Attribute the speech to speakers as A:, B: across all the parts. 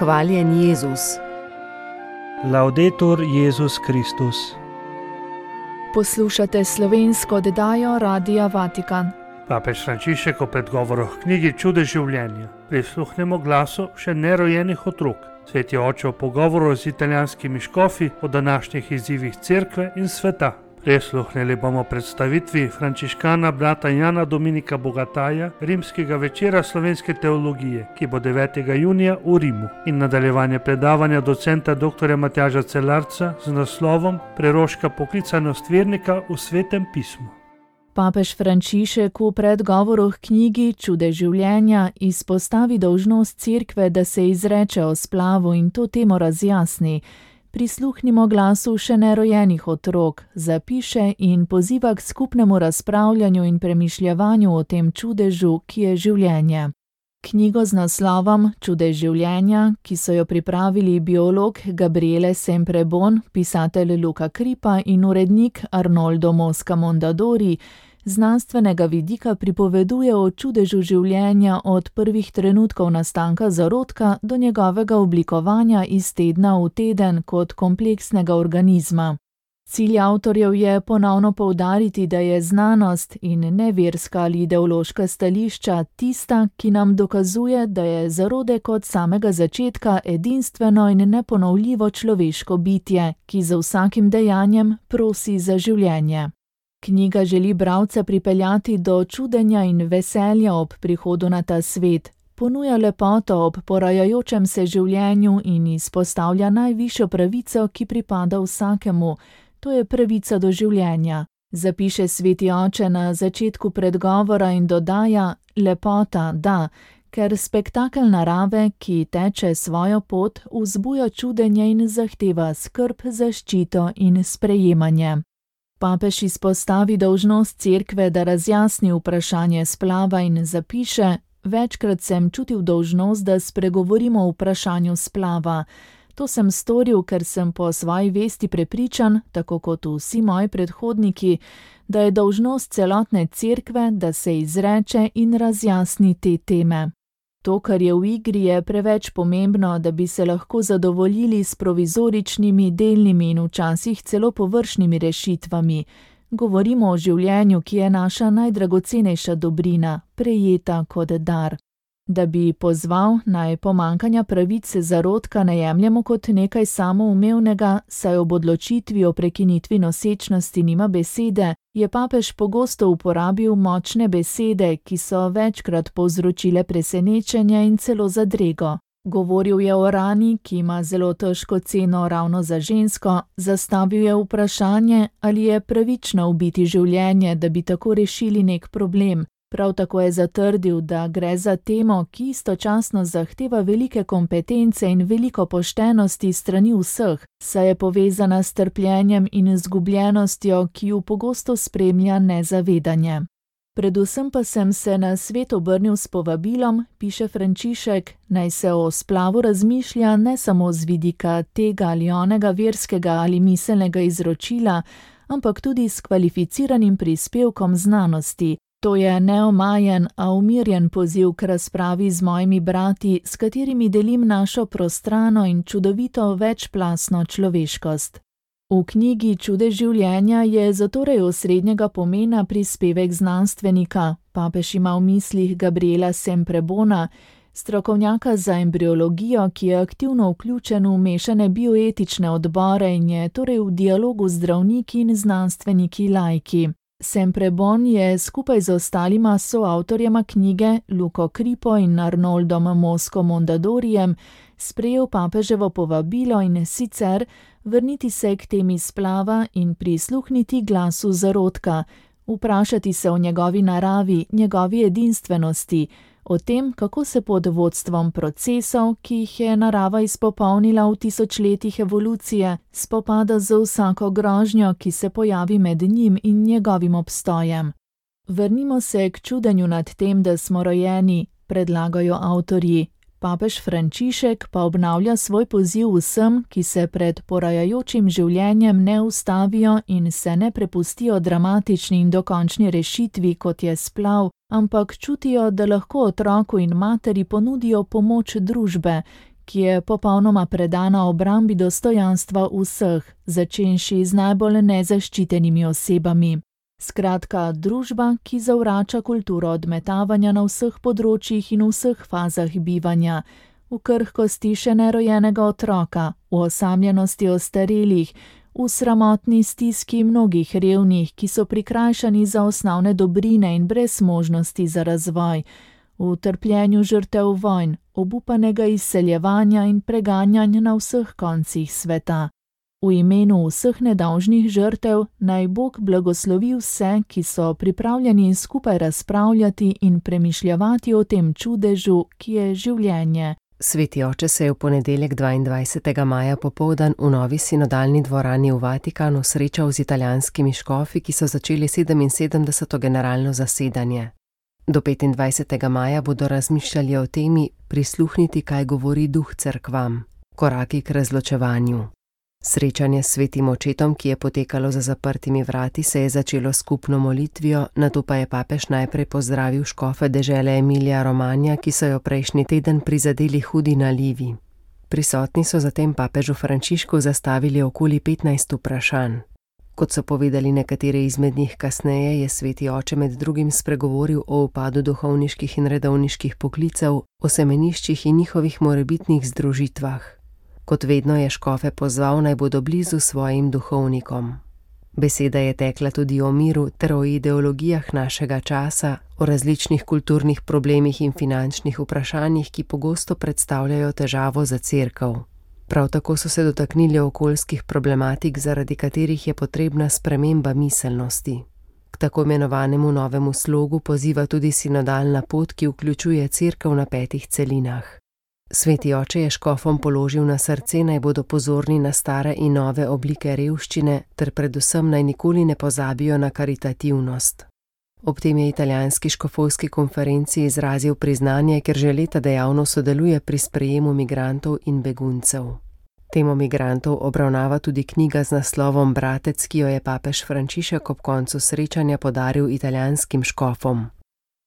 A: Hvaljen Jezus.
B: Laudetur Jezus Kristus.
C: Poslušate slovensko oddajo Radia Vatikan.
B: Papež Frančišek o predgovoru v knjigi Čudež življenja. Prisluhnemo glasu še nerojenih otrok. Sveti oče o pogovoru z italijanskimi škofi o današnjih izzivih cerkve in sveta. Prisluhnili bomo predstavitvi frančiškana brata Jana Dominika Bogataja, rimskega večera slovenske teologije, ki bo 9. junija v Rimu, in nadaljevanje predavanja docenta dr. Matjaža Celarca z naslovom Preroška poklicanost vernika v Svetem pismu.
C: Papež Frančišek v predgovoru k knjigi Čudež življenja izpostavi dolžnost cerkve, da se izreče o splavu in to temo razjasni. Prisluhnimo glasu še nerojenih otrok, zapiše in poziva k skupnemu razpravljanju in premišljevanju o tem čudežu, ki je življenje. Knjigo z naslovom Čudež življenja, ki so jo pripravili biolog Gabriele Semprebon, pisatelj Luca Kripa in urednik Arnoldo Mosca Mondadori, znanstvenega vidika pripoveduje o čudežu življenja od prvih trenutkov nastanka zarodka do njegovega oblikovanja iz tedna v teden kot kompleksnega organizma. Cilj avtorjev je ponovno poudariti, da je znanost in ne verska ali ideološka stališča tista, ki nam dokazuje, da je zarodek od samega začetka edinstveno in neponovljivo človeško bitje, ki za vsakim dejanjem prosi za življenje. Knjiga želi bralca pripeljati do čudenja in veselja ob prihodu na ta svet, ponuja lepoto ob porajajočem se življenju in izpostavlja najvišjo pravico, ki pripada vsakemu, to je pravica do življenja. Zapiše sveti oče na začetku predgovora in dodaja: lepota, da, ker spektakel narave, ki teče svojo pot, vzbuja čudenje in zahteva skrb, zaščito in sprejemanje. Papež izpostavi dolžnost cerkve, da razjasni vprašanje splava in zapiše: večkrat sem čutil dolžnost, da spregovorimo o vprašanju splava. To sem storil, ker sem po svoji vesti prepričan, tako kot vsi moji predhodniki, da je dolžnost celotne cerkve, da se izreče in razjasni te teme. To, kar je v igri, je preveč pomembno, da bi se lahko zadovoljili s provizoričnimi, delnimi in včasih celo površnimi rešitvami. Govorimo o življenju, ki je naša najdragocenejša dobrina, prejeta kot dar. Da bi pozval, naj pomanjkanja pravice zarodka ne jemljemo kot nekaj samoumevnega, saj ob odločitvi o prekinitvi nosečnosti nima besede, je papež pogosto uporabil močne besede, ki so večkrat povzročile presenečenje in celo zadrego. Govoril je o rani, ki ima zelo težko ceno ravno za žensko, zastavil je vprašanje, ali je pravično ubiti življenje, da bi tako rešili nek problem. Prav tako je zatrdil, da gre za temo, ki istočasno zahteva velike kompetence in veliko poštenosti strani vseh, saj je povezana s trpljenjem in izgubljenostjo, ki ju pogosto spremlja nezavedanje. Predvsem pa sem se na svet obrnil s povabilom, piše Frančišek, naj se o splavu razmišlja ne samo z vidika tega ali onega verskega ali miselnega izročila, ampak tudi s kvalificiranim prispevkom znanosti. To je neomajen, a umirjen poziv k razpravi z mojimi brati, s katerimi delim našo prostrano in čudovito večplastno človeškost. V knjigi Čudež življenja je zatorej osrednjega pomena prispevek znanstvenika. Papež ima v mislih Gabriela Semprebona, strokovnjaka za embriologijo, ki je aktivno vključen v mešane bioetične odbore in je torej v dialogu z zdravniki in znanstveniki laiki. Semprebon je skupaj z ostalima soavtorjema knjige, Luco Kripo in Arnoldom Mosco Mondadorijem, sprejel papeževo povabilo in sicer vrniti se k temi splava in prisluhniti glasu zarodka, vprašati se o njegovi naravi, njegovi edinstvenosti, o tem, kako se pod vodstvom procesov, ki jih je narava izpopolnila v tisočletjih evolucije, spopada z vsako grožnjo, ki se pojavi med njim in njegovim obstojem. Vrnimo se k čudenju nad tem, da smo rojeni, predlagajo avtorji. Papež Frančišek pa obnavlja svoj poziv vsem, ki se pred porajajočim življenjem ne ustavijo in se ne prepustijo dramatični in dokončni rešitvi, kot je splav, ampak čutijo, da lahko otroku in materi ponudijo pomoč družbe, ki je popolnoma predana obrambi dostojanstva vseh, začenši z najbolj nezaščitenimi osebami. Skratka, družba, ki zavrača kulturo odmetavanja na vseh področjih in vseh fazah bivanja, v krhkosti še nerojenega otroka, v osamljenosti ostarelih, v sramotni stiski mnogih revnih, ki so prikrajšani za osnovne dobrine in brez možnosti za razvoj, v trpljenju žrtev vojn, obupanega izseljevanja in preganjanja na vseh koncih sveta. V imenu vseh nedolžnih žrtev naj Bog blagoslovi vse, ki so pripravljeni skupaj razpravljati in premišljavati o tem čudežu, ki je življenje.
A: Sveti oče se je v ponedeljek 22. maja popoldan v novi sinodalni dvorani v Vatikanu srečal z italijanskimi škofi, ki so začeli 77. generalno zasedanje. Do 25. maja bodo razmišljali o temi prisluhniti, kaj govori duh cerkvam, koraki k razločevanju. Srečanje s svetim očetom, ki je potekalo za zaprtimi vrati, se je začelo s skupno molitvijo, nato pa je papež najprej pozdravil škofe dežele Emilija Romanja, ki so jo prejšnji teden prizadeli hudi nalivi. Prisotni so zatem papežu Frančišku zastavili okoli 15 vprašanj. Kot so povedali nekateri izmed njih kasneje, je sveti oče med drugim spregovoril o upadu duhovniških in redovniških poklicev, o semeniščih in njihovih morebitnih združitvah. Kot vedno je škofe pozval, naj bodo blizu svojim duhovnikom. Beseda je tekla tudi o miru ter o ideologijah našega časa, o različnih kulturnih problemih in finančnih vprašanjih, ki pogosto predstavljajo težavo za cerkev. Prav tako so se dotaknili okoljskih problematik, zaradi katerih je potrebna sprememba miselnosti. K tako imenovanemu novemu slogu poziva tudi sinodalna pot, ki vključuje cerkev na 5 celinah. Sveti oče je škofom položil na srce, naj bodo pozorni na stare in nove oblike revščine, ter predvsem naj nikoli ne pozabijo na karitativnost. Ob tem je italijanski škofovski konferenci izrazil priznanje, ker že leta dejavno sodeluje pri sprejemu migrantov in beguncev. Temo migrantov obravnava tudi knjiga z naslovom Bratec, ki jo je papež Frančišek ob koncu srečanja podaril italijanskim škofom.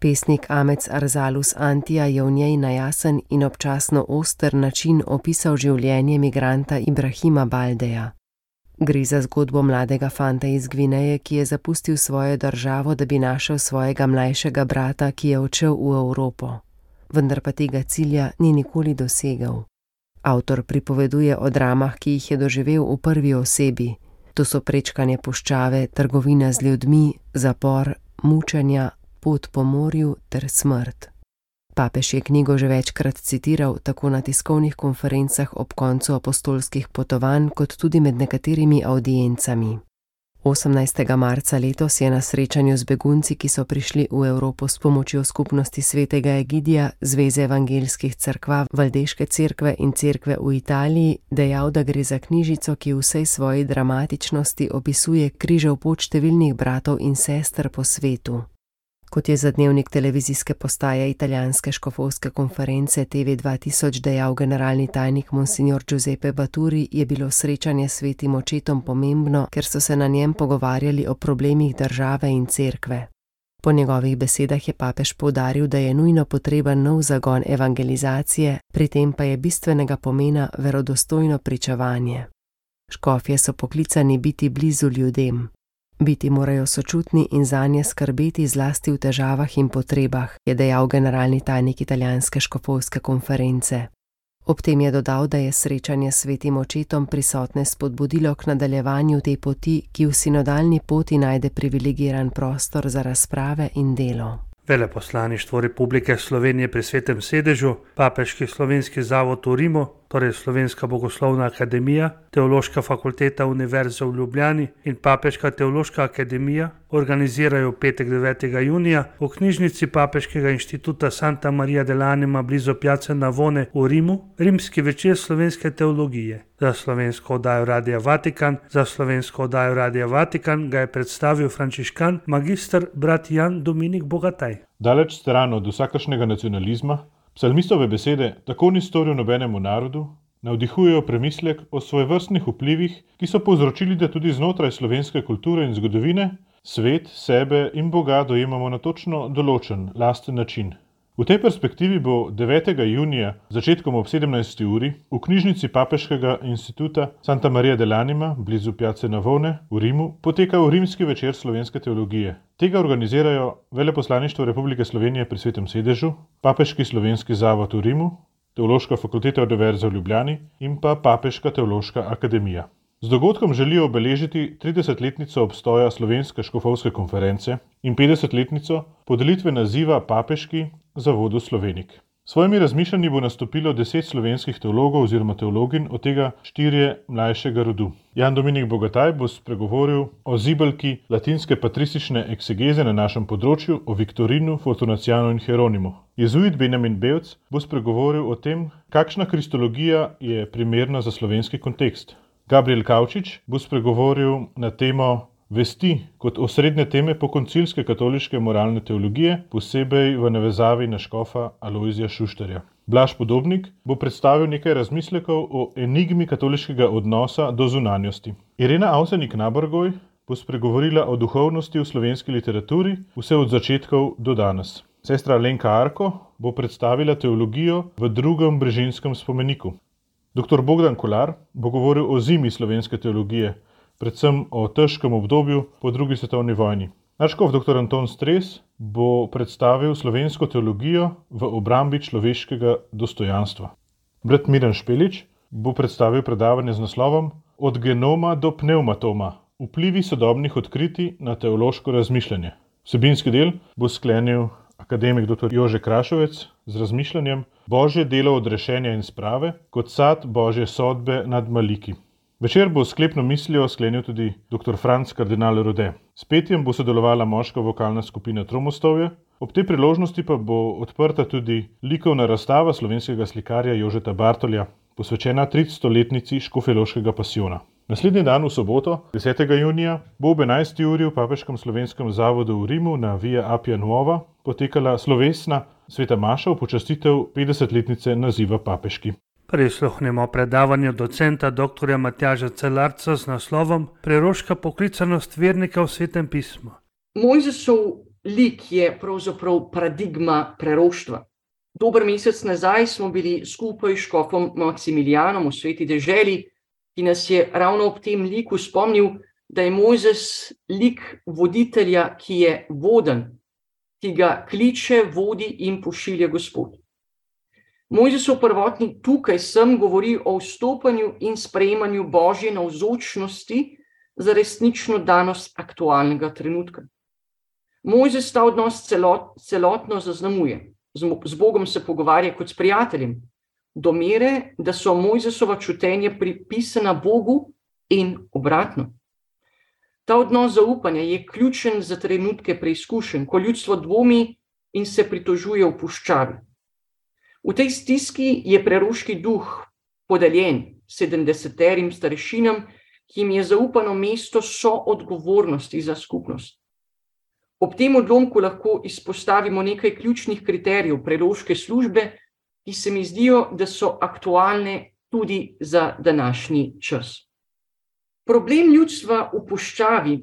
A: Pesnik Amec Arzalus Antija je v njej na jasen in občasno oster način opisal življenje migranta Ibrahima Baldeja. Gre za zgodbo mladega fanta iz Gvineje, ki je zapustil svojo državo, da bi našel svojega mlajšega brata, ki je odšel v Evropo. Vendar pa tega cilja ni nikoli dosegel. Avtor pripoveduje o dramah, ki jih je doživel v prvi osebi. To so prečkanje puščave, trgovina z ljudmi, zapor, mučenja, pot po morju ter smrt. Papež je knjigo že večkrat citiral, tako na tiskovnih konferencah ob koncu apostolskih potovanj, kot tudi med nekaterimi avdiencami. 18. marca letos je na srečanju z begunci, ki so prišli v Evropo s pomočjo skupnosti svetega Egidija, Zveze evangelskih cerkva, Valdeške cerkve in cerkve v Italiji, dejal, da gre za knjižico, ki v vsej svoji dramatičnosti opisuje križev pot številnih bratov in sester po svetu. Kot je za dnevnik televizijske postaje italijanske škofovske konference TV 2000 dejal generalni tajnik monsignor Giuseppe Baturi, je bilo srečanje s svetim očetom pomembno, ker so se na njem pogovarjali o problemih države in cerkve. Po njegovih besedah je papež poudaril, da je nujno potreben nov zagon evangelizacije, pri tem pa je bistvenega pomena verodostojno pričevanje. Škofje so poklicani biti blizu ljudem. Biti morajo sočutni in zanje skrbeti zlasti v težavah in potrebah, je dejal generalni tajnik italijanske škofovske konference. Ob tem je dodal, da je srečanje s svetim očetom prisotne spodbudilo k nadaljevanju te poti, ki v sinodalni poti najde privilegiran prostor za razprave in delo.
B: Veleposlaništvo Republike Slovenije pri Svetem sedežu, Papeški slovenski zavod v Rimu, torej Slovenska bogoslovna akademija, Teološka fakulteta Univerze v Ljubljani in Papeška teološka akademija organizirajo petek 9. junija v knjižnici Papeškega inštituta Santa Maria dell'Anima blizu Piazze Navone v Rimu rimski večer slovenske teologije. Za slovensko oddajo Radia Vatikan ga je predstavil frančiškan magister brat Jan Dominik Bogataj.
D: Daleč stran od vsakršnega nacionalizma, psalmistove besede tako ni storil nobenemu narodu, navdihujejo premislek o svojevrstnih vplivih, ki so povzročili, da tudi znotraj slovenske kulture in zgodovine svet, sebe in Boga dojemamo na točno določen, lasten način. V tej perspektivi bo 9. junija začetkom ob 17. uri v knjižnici Papeškega instituta Santa Maria dell'Anima blizu Piazze Navone v Rimu potekal Rimski večer slovenske teologije. Tega organizirajo Veleposlaništvo Republike Slovenije pri Svetem sedežu, Papeški slovenski zavod v Rimu, Teološka fakulteta Univerze v Ljubljani in pa Papeška teološka akademija. Z dogodkom želijo obeležiti 30-letnico obstoja Slovenske škofovske konference in 50-letnico podelitve naziva Papeški zavodu Slovenik. S svojimi razmišljanji bo nastopilo 10 slovenskih teologov oziroma teologin, od tega 4 mlajšega rodu. Jan Dominik Bogataj bo spregovoril o zibelki latinske patristične eksegeze na našem področju, o Viktorinu, Fortunacianu in Hieronimu. Jezuit Benjamin Bevc bo spregovoril o tem, kakšna kristologija je primerna za slovenski kontekst. Gabriel Kavčič bo spregovoril na temo vesti kot osrednje teme pokoncilske katoliške moralne teologije, posebej v navezavi na škofa Alojzija Šuštarja. Blaž Podobnik bo predstavil nekaj razmislekov o enigmi katoliškega odnosa do zunanjosti. Irena Avsenik-Nabergoj bo spregovorila o duhovnosti v slovenski literaturi vse od začetkov do danes. Sestra Alenka Arko bo predstavila teologijo v drugem brežinskem spomeniku. Dr. Bogdan Kolar bo govoril o zimi slovenske teologije, predvsem o težkem obdobju po drugi svetovni vojni. Nadškof dr. Anton Stres bo predstavil slovensko teologijo v obrambi človeškega dostojanstva. Brat Miran Špelič bo predstavil predavanje z naslovom Od genoma do pneumatoma. Vplivi sodobnih odkritij na teološko razmišljanje. Vsebinski del bo sklenil akademik dr. Jože Krašovec z razmišljanjem Božje delo odrešenja in sprave kot sad Božje sodbe nad maliki. Večer bo sklepno mislijo sklenil tudi dr. Franc kardinal Rode. S petjem bo sodelovala moška vokalna skupina Tromostovje, ob tej priložnosti pa bo odprta tudi likovna razstava slovenskega slikarja Jožeta Bartolja, posvečena 300-letnici Škofjeloškega pasijona. Naslednji dan v soboto, 10. junija, bo ob 11. uri v Papeškem slovenskem zavodu v Rimu na Via Appia Nuova potekala slovesna sveta maša v počastitev 50-letnice naziva papeški.
B: Prisluhnemo predavanju docenta dr. Matjaža Celarca z naslovom Preroška poklicanost vernika v Svetem pismu.
E: Mojzesov lik je pravzaprav paradigma preroštva. Dober mesec nazaj smo bili skupaj s škofom Maksimilijanom v Sveti deželi, ki nas je ravno ob tem liku spomnil, da je Mojzes lik voditelja, ki je voden, ki ga kliče, vodi in pošilja Gospod. Mojzesov prvotnik tukaj sem govori o vstopanju in sprejemanju Božje navzočnosti za resnično danost aktualnega trenutka. Mojzes ta odnos celotno zaznamuje. Z Bogom se pogovarja kot s prijateljem, do mere, da so Mojzesova čutenja pripisana Bogu in obratno. Ta odnos zaupanja je ključen za trenutke preizkušenj, ko ljudstvo dvomi in se pritožuje v puščavi. V tej stiski je preroški duh podeljen 70 starešinam, ki jim je zaupano mesto soodgovornosti za skupnost. Ob tem odlomku lahko izpostavimo nekaj ključnih kriterijev preroške službe, ki se mi zdijo, da so aktualne tudi za današnji čas. Problem ljudstva v puščavi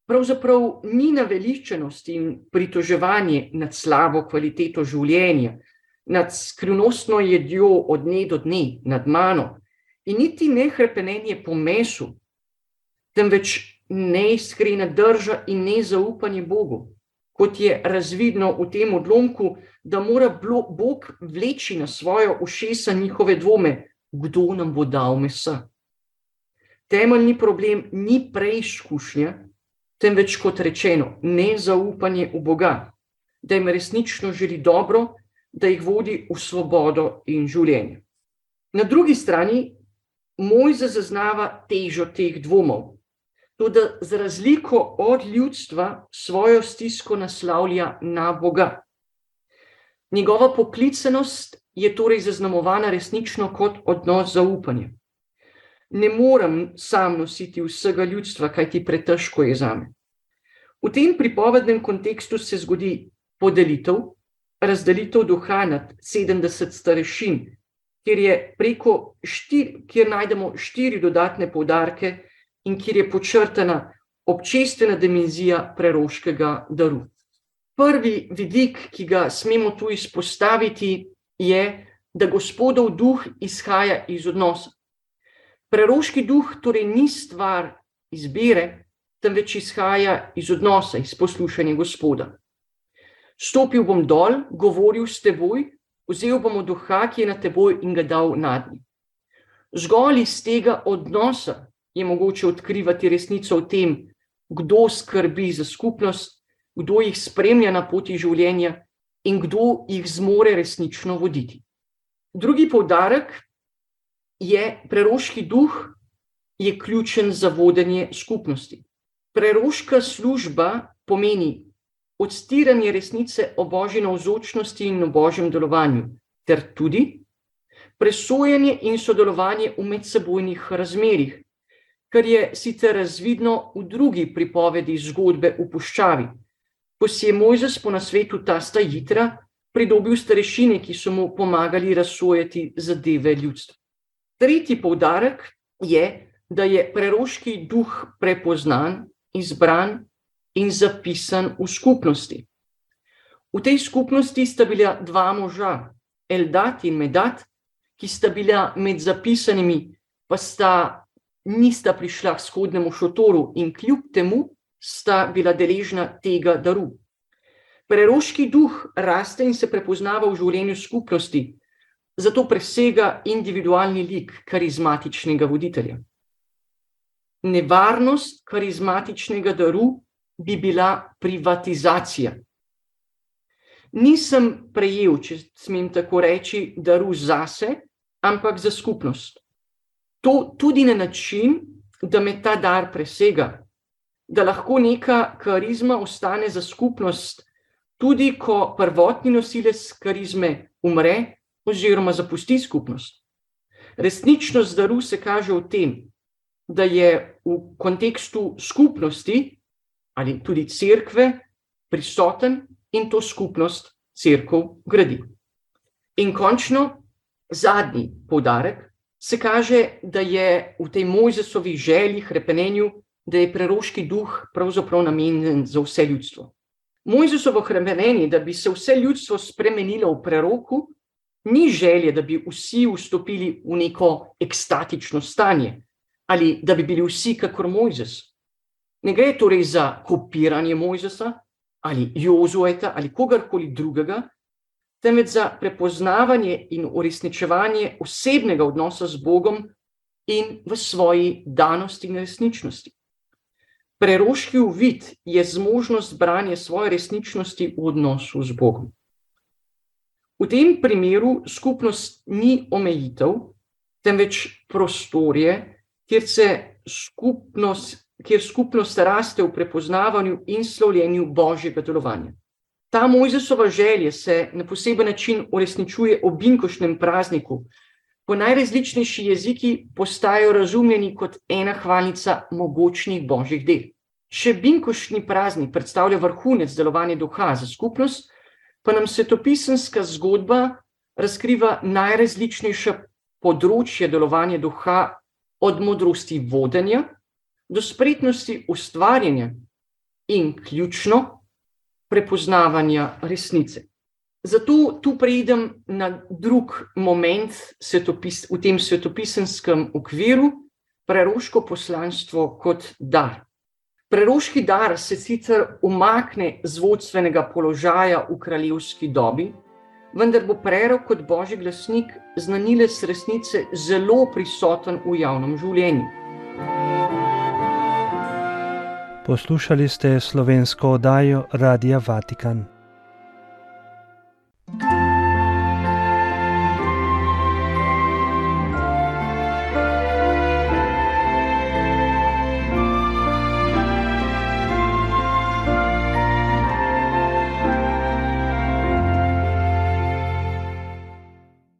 E: pravzaprav ni naveličanost in pritoževanje nad slabo kvaliteto življenja, nad skrivnostno jedjo od dne do dne, nad mano, in niti ne hrepenenje po mesu, temveč neiskrena drža in nezaupanje Bogu, kot je razvidno v tem odlomku, da mora Bog vleči na svojo ušesa njihove dvome, kdo nam bo dal mesa. Temeljni problem ni preizkušnja, temveč kot rečeno, nezaupanje v Boga, da jim resnično želi dobro, da jih vodi v svobodo in življenje. Na drugi strani Mojzes zaznava težo teh dvomov, tudi za razliko od ljudstva svojo stisko naslavlja na Boga. Njegova poklicanost je torej zaznamovana resnično kot odnos zaupanja. Ne morem sam nositi vsega ljudstva, kajti pretežko je zame. V tem pripovednem kontekstu se zgodi podelitev, razdelitev duha nad 70 starešin, kjer najdemo 4 dodatne poudarke in kjer je podčrtana občestvena dimenzija preroškega daru. Prvi vidik, ki ga smemo tu izpostaviti, je, da Gospodov duh izhaja iz odnosa. Preroški duh torej ni stvar izbire, temveč izhaja iz odnosa, iz poslušanja Gospoda. Stopil bom dol, govoril s teboj, vzel bom duha, ki je na teboj in ga dal nadnji. Zgolj iz tega odnosa je mogoče odkrivati resnico o tem, kdo skrbi za skupnost, kdo jih spremlja na poti življenja in kdo jih zmore resnično voditi. Drugi poudarek je, preroški duh je ključen za vodenje skupnosti. Preroška služba pomeni odstiranje resnice o Božji navzočnosti in o Božjem delovanju, ter tudi presojanje in sodelovanje v medsebojnih razmerjih, kar je sicer razvidno v drugi pripovedi zgodbe v puščavi, ko si je Mojzes po nasvetu tasta Jitra pridobil starešine, ki so mu pomagali razsojati zadeve ljudstva. Tretji poudarek je, da je preroški duh prepoznan, izbran in zapisan v skupnosti. V tej skupnosti sta bila dva moža, Eldad in Medad, ki sta bila med zapisanimi, pa nista prišla k shodnemu šotoru in kljub temu sta bila deležna tega daru. Preroški duh raste in se prepoznava v življenju skupnosti, zato presega individualni lik karizmatičnega voditelja. Nevarnost karizmatičnega daru bi bila privatizacija. Nisem prejel, če smem tako reči, daru zase, ampak za skupnost. To tudi na način, da me ta dar presega, da lahko neka karizma ostane za skupnost, tudi ko prvotni nosilec karizme umre oziroma zapusti skupnost. Resničnost daru se kaže v tem, da je v kontekstu skupnosti ali tudi cerkve prisoten in to skupnost cerkev gradi. In končno, zadnji poudarek se kaže, da je v tej Mojzesovi želji, hrepenenju, da je preroški duh pravzaprav namenjen za vse ljudstvo. Mojzesovo hrepenenje, da bi se vse ljudstvo spremenilo v preroku, ni želje, da bi vsi vstopili v neko ekstatično stanje ali da bi bili vsi kakor Mojzes. Ne gre torej za kopiranje Mojzesa ali Jozueta ali kogarkoli drugega, temveč za prepoznavanje in uresničevanje osebnega odnosa z Bogom in v svoji danosti in resničnosti. Preroški uvid je zmožnost branja svoje resničnosti v odnosu z Bogom. V tem primeru skupnost ni omejitev, temveč prostorje, kjer skupnost raste v prepoznavanju in slavljenju Božjega delovanja. Ta Mojzesova želja se na poseben način uresničuje ob binkoštnem prazniku, ko najrazličnejši jeziki postajajo razumljeni kot ena hvalnica mogočnih Božjih del. Če binkoštni praznik predstavlja vrhunec delovanja duha za skupnost, pa nam svetopisemska zgodba razkriva najrazličnejša področja delovanja duha, od modrosti vodenja do spretnosti ustvarjanja in ključno prepoznavanja resnice. Zato tu preidem na drug moment v tem svetopisenskem okviru, preroško poslanstvo kot dar. Preroški dar se sicer umakne z vodstvenega položaja v kraljevski dobi, vendar bo prerok kot Božji glasnik, znanilec resnice, zelo prisoten v javnem življenju.
B: Poslušali ste slovensko oddajo Radia Vatikan.